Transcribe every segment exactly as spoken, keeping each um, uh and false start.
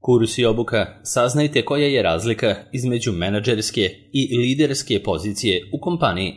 Kurs i obuka, saznajte koja je razlika između menadžerske i liderske pozicije u kompaniji.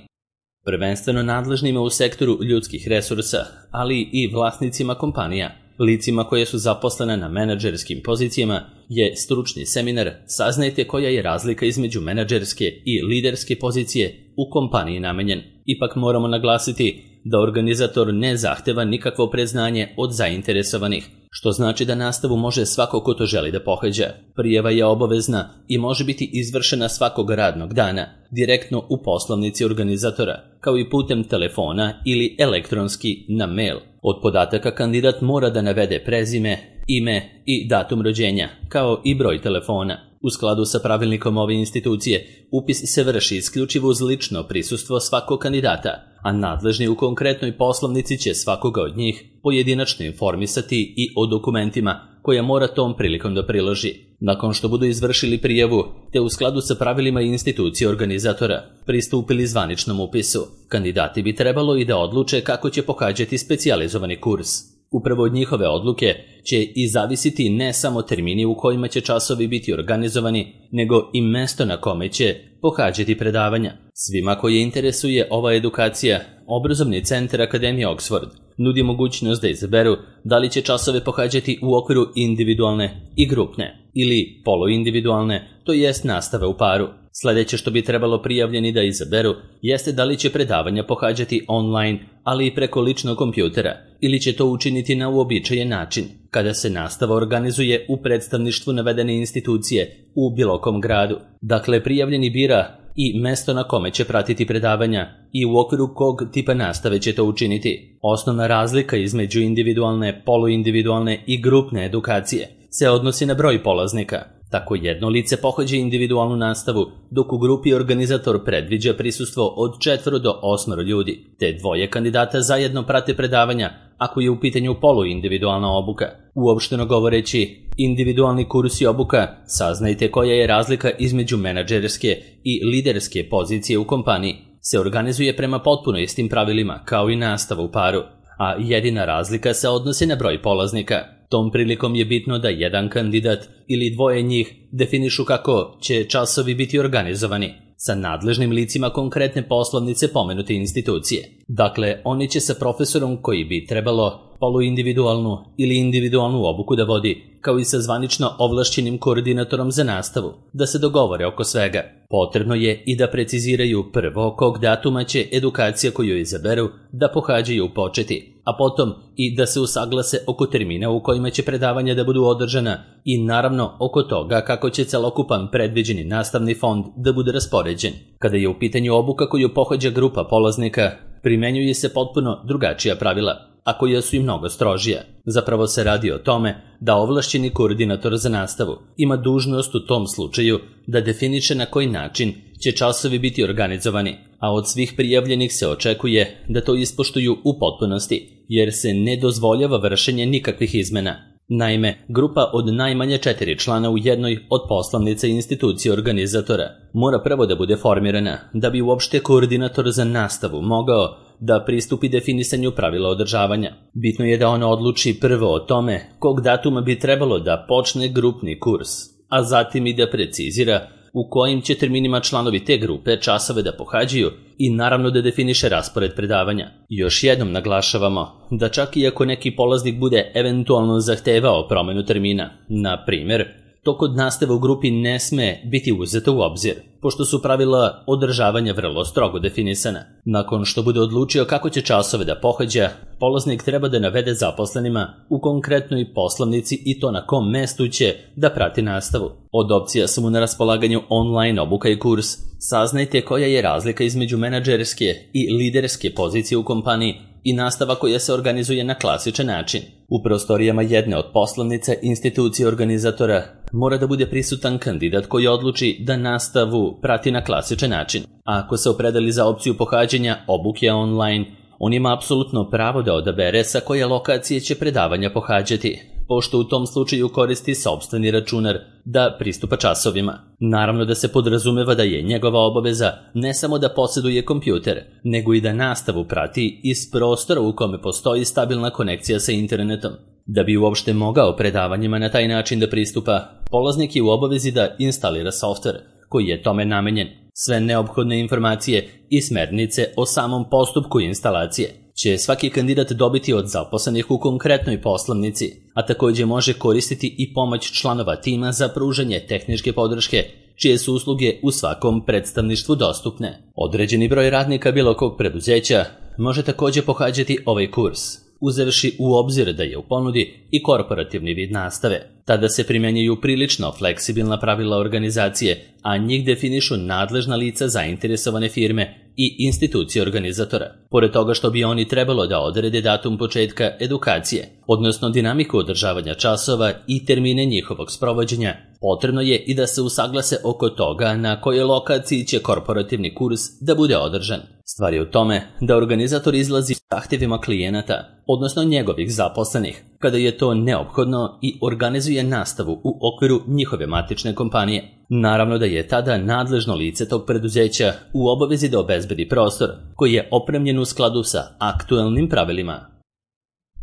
Prvenstveno nadležnima u sektoru ljudskih resursa, ali i vlasnicima kompanija, licima koje su zaposlene na menadžerskim pozicijama, je stručni seminar Saznajte koja je razlika između menadžerske i liderske pozicije u kompaniji namenjen. Ipak moramo naglasiti da organizator ne zahteva nikakvo predznanje od zainteresovanih, što znači da nastavu može svako ko to želi da pohađa. Prijava je obavezna i može biti izvršena svakog radnog dana, direktno u poslovnici organizatora, kao i putem telefona ili elektronski na mail. Od podataka kandidat mora da navede prezime, ime i datum rođenja, kao i broj telefona. U skladu sa pravilnikom ove institucije, upis se vrši isključivo uz lično prisustvo svakog kandidata, a nadležni u konkretnoj poslovnici će svakoga od njih pojedinačno informisati i o dokumentima koja mora tom prilikom da priloži. Nakon što budu izvršili prijavu, te u skladu sa pravilima institucije organizatora pristupili zvaničnom upisu, kandidati bi trebalo i da odluče kako će pohađati specijalizovani kurs. Upravo od njihove odluke će i zavisiti ne samo termini u kojima će časovi biti organizovani, nego i mesto na kome će pohađati predavanja. Svima koje interesuje ova edukacija, Obrazovni centar Akademije Oxford nudi mogućnost da izaberu da li će časove pohađati u okviru individualne i grupne ili poluindividualne, to jest nastave u paru. Sljedeće što bi trebalo prijavljeni da izaberu jeste da li će predavanja pohađati online, ali i preko ličnog kompjutera, ili će to učiniti na uobičajen način, kada se nastava organizuje u predstavništvu navedene institucije u bilo kom gradu. Dakle, prijavljeni bira i mesto na kome će pratiti predavanja i u okviru kog tipa nastave će to učiniti. Osnovna razlika između individualne, poluindividualne i grupne edukacije se odnosi na broj polaznika. Tako jedno lice pohađa individualnu nastavu, dok u grupi organizator predviđa prisustvo od četvoro do osmoro ljudi, te dvoje kandidata zajedno prate predavanja ako je u pitanju poluindividualna obuka. Uopšteno govoreći, individualni kurs i obuka, saznajte koja je razlika između menadžerske i liderske pozicije u kompaniji, se organizuje prema potpuno istim pravilima kao i nastava u paru, a jedina razlika se odnosi na broj polaznika. Tom prilikom je bitno da jedan kandidat ili dvoje njih definišu kako će časovi biti organizovani sa nadležnim licima konkretne poslovnice pomenute institucije. Dakle, oni će sa profesorom koji bi trebalo poluindividualnu ili individualnu obuku da vodi, kao i sa zvanično ovlašćenim koordinatorom za nastavu, da se dogovore oko svega. Potrebno je i da preciziraju prvo kog datuma će edukacija koju izaberu da pohađaju početi, a potom i da se usaglase oko termina u kojima će predavanja da budu održana i naravno oko toga kako će celokupan predviđeni nastavni fond da bude raspoređen. Kada je u pitanju obuka koju pohađa grupa polaznika, primenjuje se potpuno drugačija pravila, a koja su i mnogo strožija. Zapravo se radi o tome da ovlašćeni koordinator za nastavu ima dužnost u tom slučaju da definiše na koji način će časovi biti organizovani, a od svih prijavljenih se očekuje da to ispoštuju u potpunosti, jer se ne dozvoljava vršenje nikakvih izmena. Naime, grupa od najmanje četiri člana u jednoj od poslovnica institucije organizatora mora prvo da bude formirana da bi uopšte koordinator za nastavu mogao da pristupi definisanju pravila održavanja. Bitno je da ona odluči prvo o tome kog datuma bi trebalo da počne grupni kurs, a zatim i da precizira u kojim će terminima članovi te grupe časove da pohađaju i naravno da definiše raspored predavanja. Još jednom naglašavamo da čak i ako neki polaznik bude eventualno zahtevao promenu termina, na primjer, to kod nastave u grupi ne sme biti uzeto u obzir, pošto su pravila održavanja vrlo strogo definisana. Nakon što bude odlučio kako će časove da pohađa, polaznik treba da navede zaposlenima u konkretnoj poslovnici i to na kom mestu će da prati nastavu. Od opcija su mu na raspolaganju online obuka i kurs. Saznajte koja je razlika između menadžerske i liderske pozicije u kompaniji i nastava koja se organizuje na klasičan način. U prostorijama jedne od poslovnica institucije organizatora mora da bude prisutan kandidat koji odluči da nastavu prati na klasičan način. A ako se opredeli za opciju pohađanja obuke online, on ima apsolutno pravo da odabere sa koje lokacije će predavanja pohađati, pošto u tom slučaju koristi sopstveni računar da pristupa časovima. Naravno da se podrazumeva da je njegova obaveza ne samo da posjeduje kompjuter, nego i da nastavu prati iz prostora u kome postoji stabilna konekcija sa internetom. Da bi uopšte mogao predavanjima na taj način da pristupa, polaznik je u obavezi da instalira softver koji je tome namenjen. Sve neophodne informacije i smernice o samom postupku instalacije će svaki kandidat dobiti od zaposlenih u konkretnoj poslovnici, a također može koristiti i pomoć članova tima za pružanje tehničke podrške, čije su usluge u svakom predstavništvu dostupne. Određeni broj radnika bilo kog preduzeća može također pohađati ovaj kurs, uzevši u obzir da je u ponudi i korporativni vid nastave. Tada se primjenjuju prilično fleksibilna pravila organizacije, a njih definišu nadležna lica zainteresovane firme i institucije organizatora. Pored toga što bi oni trebalo da odrede datum početka edukacije, odnosno dinamiku održavanja časova i termine njihovog sprovođenja, potrebno je i da se usaglase oko toga na kojoj lokaciji će korporativni kurs da bude održan. Stvar je u tome da organizator izlazi s zahtjevima klijenata, odnosno njegovih zaposlenih, kada je to neophodno i organizuje nastavu u okviru njihove matične kompanije. Naravno da je tada nadležno lice tog preduzeća u obavezi da obezbedi prostor koji je opremljen u skladu sa aktuelnim pravilima.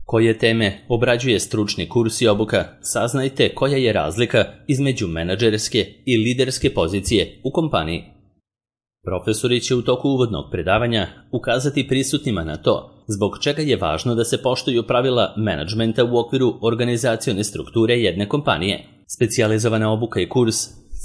Koje teme obrađuje stručni kurs i obuka, saznajte koja je razlika između menadžerske i liderske pozicije u kompaniji. Profesori će u toku uvodnog predavanja ukazati prisutnima na to zbog čega je važno da se poštuju pravila menadžmenta u okviru organizacione strukture jedne kompanije. Specijalizovana obuka i kurs,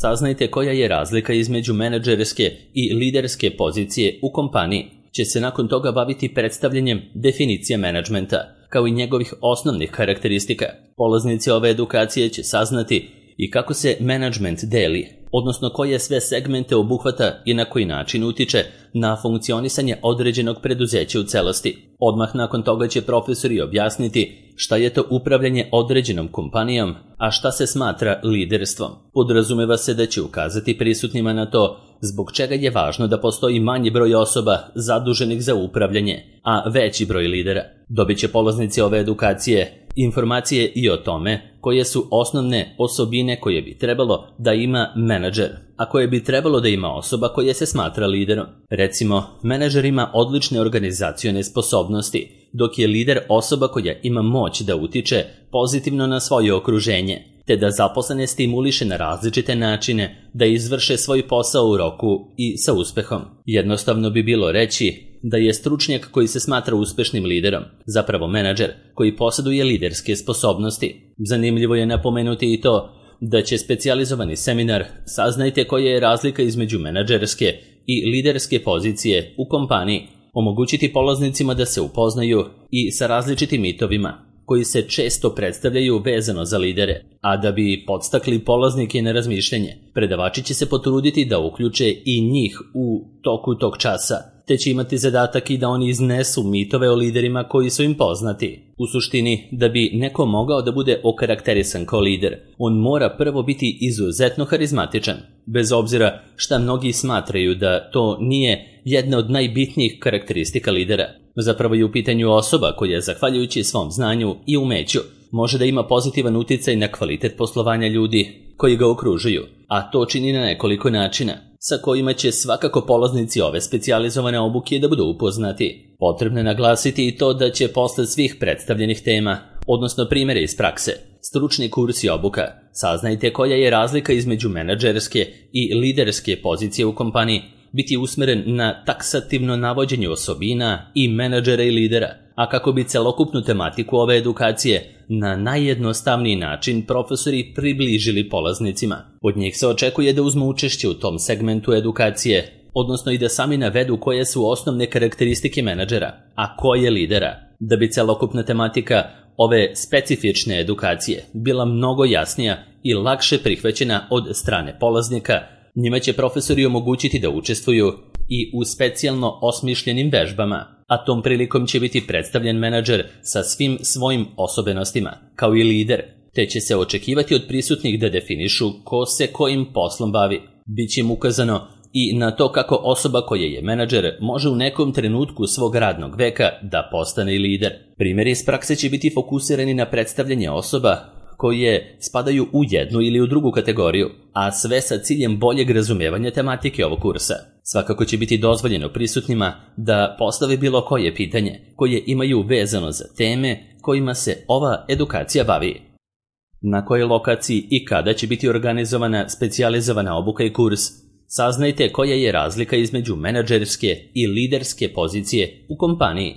saznajte koja je razlika između menadžerske i liderske pozicije u kompaniji, će se nakon toga baviti predstavljanjem definicije menadžmenta, kao i njegovih osnovnih karakteristika. Polaznici ove edukacije će saznati i kako se menadžment deli, odnosno koje sve segmente obuhvata i na koji način utiče na funkcionisanje određenog preduzeća u celosti. Odmah nakon toga će profesori objasniti šta je to upravljanje određenom kompanijom, a šta se smatra liderstvom. Podrazumeva se da će ukazati prisutnima na to zbog čega je važno da postoji manji broj osoba zaduženih za upravljanje, a veći broj lidera. Dobit će polaznici ove edukacije informacije i o tome koje su osnovne osobine koje bi trebalo da ima menadžer, a koje bi trebalo da ima osoba koja se smatra liderom. Recimo, menadžer ima odlične organizacione sposobnosti, dok je lider osoba koja ima moć da utiče pozitivno na svoje okruženje, te da zaposlene stimuliše na različite načine da izvrše svoj posao u roku i sa uspehom. Jednostavno bi bilo reći da je stručnjak koji se smatra uspešnim liderom zapravo menadžer koji posjeduje liderske sposobnosti. Zanimljivo je napomenuti i to da će specijalizovani seminar saznajte koja je razlika između menadžerske i liderske pozicije u kompaniji omogućiti polaznicima da se upoznaju i sa različitim mitovima koji se često predstavljaju vezano za lidere, a da bi podstakli polaznike na razmišljanje, predavači će se potruditi da uključe i njih u toku tog časa, te će imati zadatak i da oni iznesu mitove o liderima koji su im poznati. U suštini, da bi neko mogao da bude okarakterisan kao lider, on mora prvo biti izuzetno harizmatičan, bez obzira šta mnogi smatraju da to nije jedna od najbitnijih karakteristika lidera. Zapravo je u pitanju osoba koja, zahvaljujući svom znanju i umeću, može da ima pozitivan uticaj na kvalitet poslovanja ljudi koji ga okružuju, a to čini na nekoliko načina, sa kojima će svakako polaznici ove specijalizovane obuke da budu upoznati. Potrebno je naglasiti i to da će posle svih predstavljenih tema, odnosno primjere iz prakse, stručni kurs i obuka, saznajte koja je razlika između menadžerske i liderske pozicije u kompaniji, biti usmeren na taksativno navođenje osobina i menadžera i lidera, a kako bi celokupnu tematiku ove edukacije na najjednostavniji način profesori približili polaznicima. Od njih se očekuje da uzmu učešće u tom segmentu edukacije, odnosno i da sami navedu koje su osnovne karakteristike menadžera, a koje lidera, da bi celokupna tematika ove specifične edukacije bila mnogo jasnija i lakše prihvaćena od strane polaznika. Njima će profesori omogućiti da učestvuju i u specijalno osmišljenim vežbama, a tom prilikom će biti predstavljen menadžer sa svim svojim osobenostima, kao i lider, te će se očekivati od prisutnih da definišu ko se kojim poslom bavi. Biće im ukazano i na to kako osoba koja je menadžer može u nekom trenutku svog radnog veka da postane i lider. Primjeri iz prakse će biti fokusirani na predstavljanje osoba koje spadaju u jednu ili u drugu kategoriju, a sve sa ciljem boljeg razumijevanja tematike ovog kursa. Svakako će biti dozvoljeno prisutnima da postave bilo koje pitanje koje imaju vezano za teme kojima se ova edukacija bavi. Na kojoj lokaciji i kada će biti organizovana specijalizovana obuka i kurs? Saznajte koja je razlika između menadžerske i liderske pozicije u kompaniji.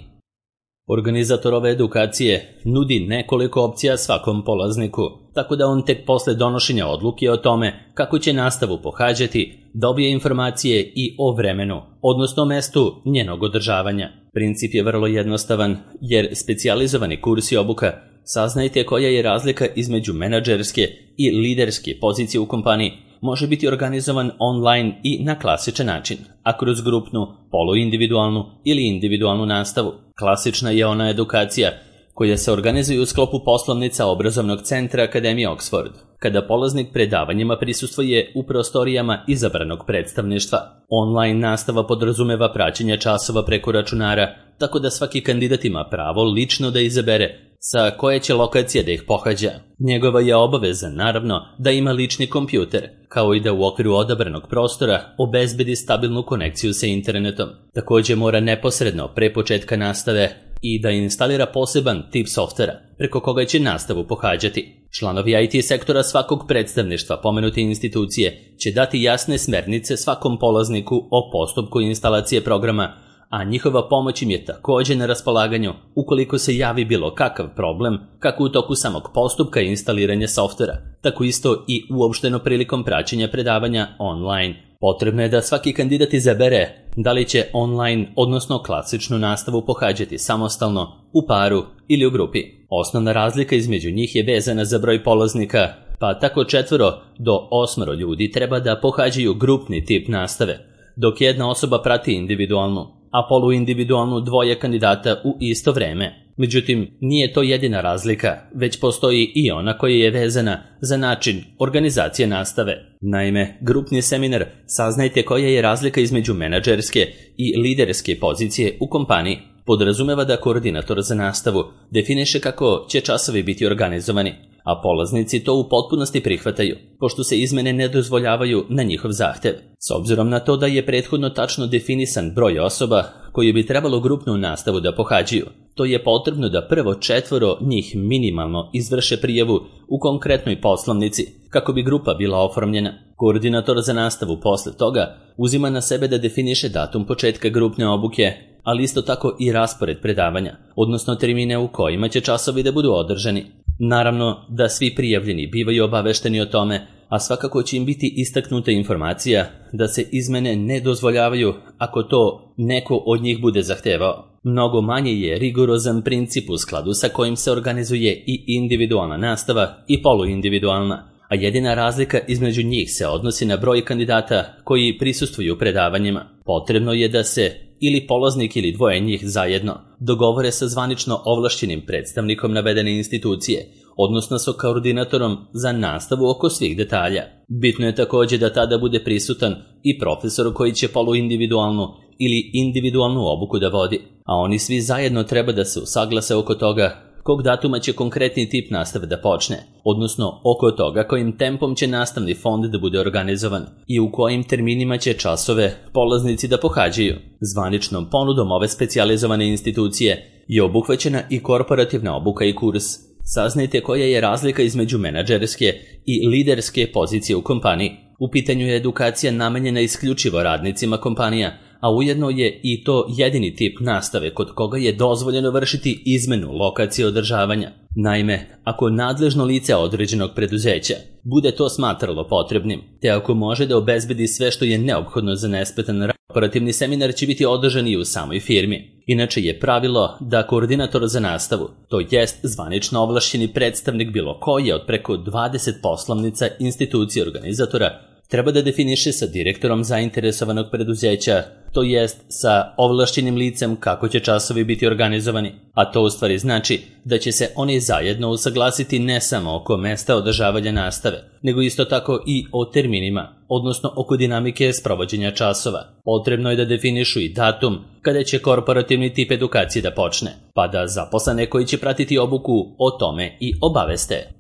Organizator ove edukacije nudi nekoliko opcija svakom polazniku, tako da on tek posle donošenja odluke o tome kako će nastavu pohađati, dobije informacije i o vremenu, odnosno mestu njenog održavanja. Princip je vrlo jednostavan, jer specijalizovani kurs i obuka saznajte koja je razlika između menadžerske i liderske pozicije u kompaniji može biti organizovan online i na klasičan način, a kroz grupnu, poluindividualnu ili individualnu nastavu. Klasična je ona edukacija koja se organizuje u sklopu poslovnica obrazovnog centra Akademije Oxford, kada polaznik predavanjima prisustvuje u prostorijama izabranog predstavništva. Online nastava podrazumeva praćenje časova preko računara, tako da svaki kandidat ima pravo lično da izabere sa koje će lokacije da ih pohađa. Njegova je obaveza, naravno, da ima lični kompjuter, kao i da u okviru odabranog prostora obezbedi stabilnu konekciju sa internetom. Također mora neposredno pre početka nastave i da instalira poseban tip softvera preko koga će nastavu pohađati. Članovi I T sektora svakog predstavništva pomenute institucije će dati jasne smernice svakom polazniku o postupku instalacije programa, a njihova pomoć im je također na raspolaganju ukoliko se javi bilo kakav problem, kako u toku samog postupka instaliranja softvera, tako isto i uopšteno prilikom praćenja predavanja online. Potrebno je da svaki kandidat izabere da li će online, odnosno klasičnu nastavu pohađati samostalno, u paru ili u grupi. Osnovna razlika između njih je vezana za broj polaznika, pa tako četvoro do osmoro ljudi treba da pohađaju grupni tip nastave, dok jedna osoba prati individualnu, a poluindividualnu dvoje kandidata u isto vreme. Međutim, nije to jedina razlika, već postoji i ona koja je vezana za način organizacije nastave. Naime, grupni seminar saznajte koja je razlika između menadžerske i liderske pozicije u kompaniji. Podrazumeva da koordinator za nastavu definiše kako će časovi biti organizovani, a polaznici to u potpunosti prihvataju, pošto se izmene ne dozvoljavaju na njihov zahtev. S obzirom na to da je prethodno tačno definisan broj osoba koji bi trebalo grupnu nastavu da pohađaju, to je potrebno da prvo četvoro njih minimalno izvrše prijavu u konkretnoj poslovnici, kako bi grupa bila oformljena. Koordinator za nastavu posle toga uzima na sebe da definiše datum početka grupne obuke, ali isto tako i raspored predavanja, odnosno termine u kojima će časovi da budu održani. Naravno da svi prijavljeni bivaju obavešteni o tome, a svakako će im biti istaknuta informacija da se izmene ne dozvoljavaju ako to neko od njih bude zahtevao. Mnogo manje je rigorozan princip u skladu sa kojim se organizuje i individualna nastava i poluindividualna, a jedina razlika između njih se odnosi na broj kandidata koji prisustvuju predavanjima. Potrebno je da se ili polaznik ili dvoje njih zajedno dogovore sa zvanično ovlašćenim predstavnikom navedene institucije, odnosno sa koordinatorom za nastavu oko svih detalja. Bitno je također da tada bude prisutan i profesor koji će poluindividualnu ili individualnu obuku da vodi, a oni svi zajedno treba da se usaglase oko toga kog datuma će konkretni tip nastave da počne, odnosno oko toga kojim tempom će nastavni fond da bude organizovan i u kojim terminima će časove polaznici da pohađaju. Zvaničnom ponudom ove specijalizovane institucije je obuhvaćena i korporativna obuka i kurs. Saznajte koja je razlika između menadžerske i liderske pozicije u kompaniji. U pitanju je edukacija namenjena isključivo radnicima kompanija, a ujedno je i to jedini tip nastave kod koga je dozvoljeno vršiti izmenu lokacije održavanja. Naime, ako nadležno lice određenog preduzeća bude to smatralo potrebnim, te ako može da obezbedi sve što je neophodno za nesmetan rad, operativni seminar će biti održan i u samoj firmi. Inače je pravilo da koordinator za nastavu, to jest zvanično ovlašćeni predstavnik bilo koje od preko dvadeset poslovnica institucije organizatora, treba da definiše sa direktorom zainteresovanog preduzeća, to jest sa ovlašćenim licem kako će časovi biti organizovani, a to u stvari znači da će se oni zajedno usaglasiti ne samo oko mesta održavanja nastave, nego isto tako i o terminima, odnosno oko dinamike sprovođenja časova. Potrebno je da definišu i datum kada će korporativni tip edukacije da počne, pa da zaposlene koji će pratiti obuku o tome i obaveste.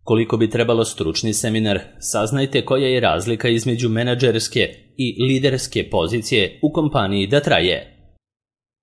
Koliko bi trebalo stručni seminar, saznajte koja je razlika između menadžerske i liderske pozicije u kompaniji da traje.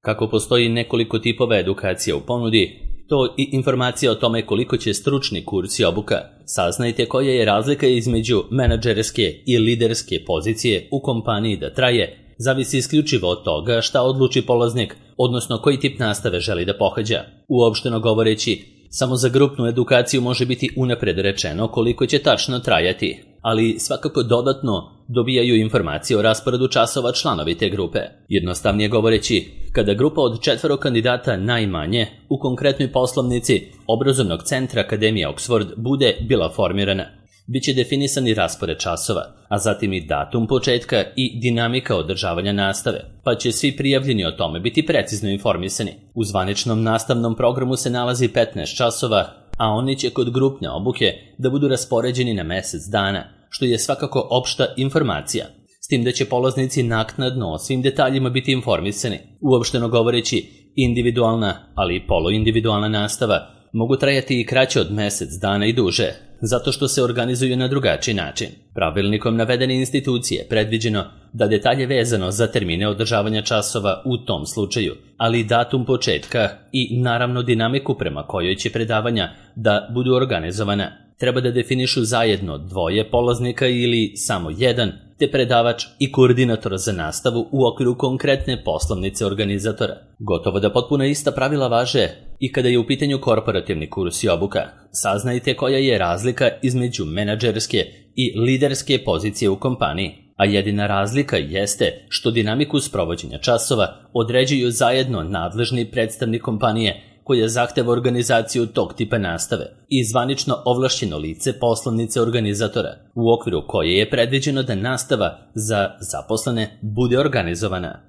Kako postoji nekoliko tipova edukacije u ponudi, to i informacija o tome koliko će stručni kurs i obuka. Saznajte koja je razlika između menadžerske i liderske pozicije u kompaniji da traje, zavisi isključivo od toga šta odluči polaznik, odnosno koji tip nastave želi da pohađa. Uopšteno govoreći, samo za grupnu edukaciju može biti unapred rečeno koliko će tačno trajati, ali svakako dodatno dobijaju informacije o rasporedu časova članovi te grupe. Jednostavnije govoreći, kada grupa od četvoro kandidata najmanje u konkretnoj poslovnici obrazovnog centra Akademije Oxford bude bila formirana, biće definisani raspored časova, a zatim i datum početka i dinamika održavanja nastave, pa će svi prijavljeni o tome biti precizno informisani. U zvaničnom nastavnom programu se nalazi petnaest časova, a oni će kod grupne obuke da budu raspoređeni na mesec dana, što je svakako opšta informacija, s tim da će polaznici naknadno o svim detaljima biti informisani. Uopšteno govoreći, individualna, ali i poluindividualna nastava mogu trajati i kraće od mesec dana i duže, zato što se organizuju na drugačiji način. Pravilnikom navedene institucije predviđeno da detalje vezano za termine održavanja časova u tom slučaju, ali i datum početka i naravno dinamiku prema kojoj će predavanja da budu organizovana, treba da definišu zajedno dvoje polaznika ili samo jedan, te predavač i koordinator za nastavu u okviru konkretne poslovnice organizatora. Gotovo da potpuno ista pravila važe i kada je u pitanju korporativni kurs i obuka. Saznajte koja je razlika između menadžerske i liderske pozicije u kompaniji, a jedina razlika jeste što dinamiku sprovođenja časova određuju zajedno nadležni predstavnik kompanije koja zahteva organizaciju tog tipa nastave i zvanično ovlašćeno lice poslovnice organizatora, u okviru koje je predviđeno da nastava za zaposlene bude organizovana.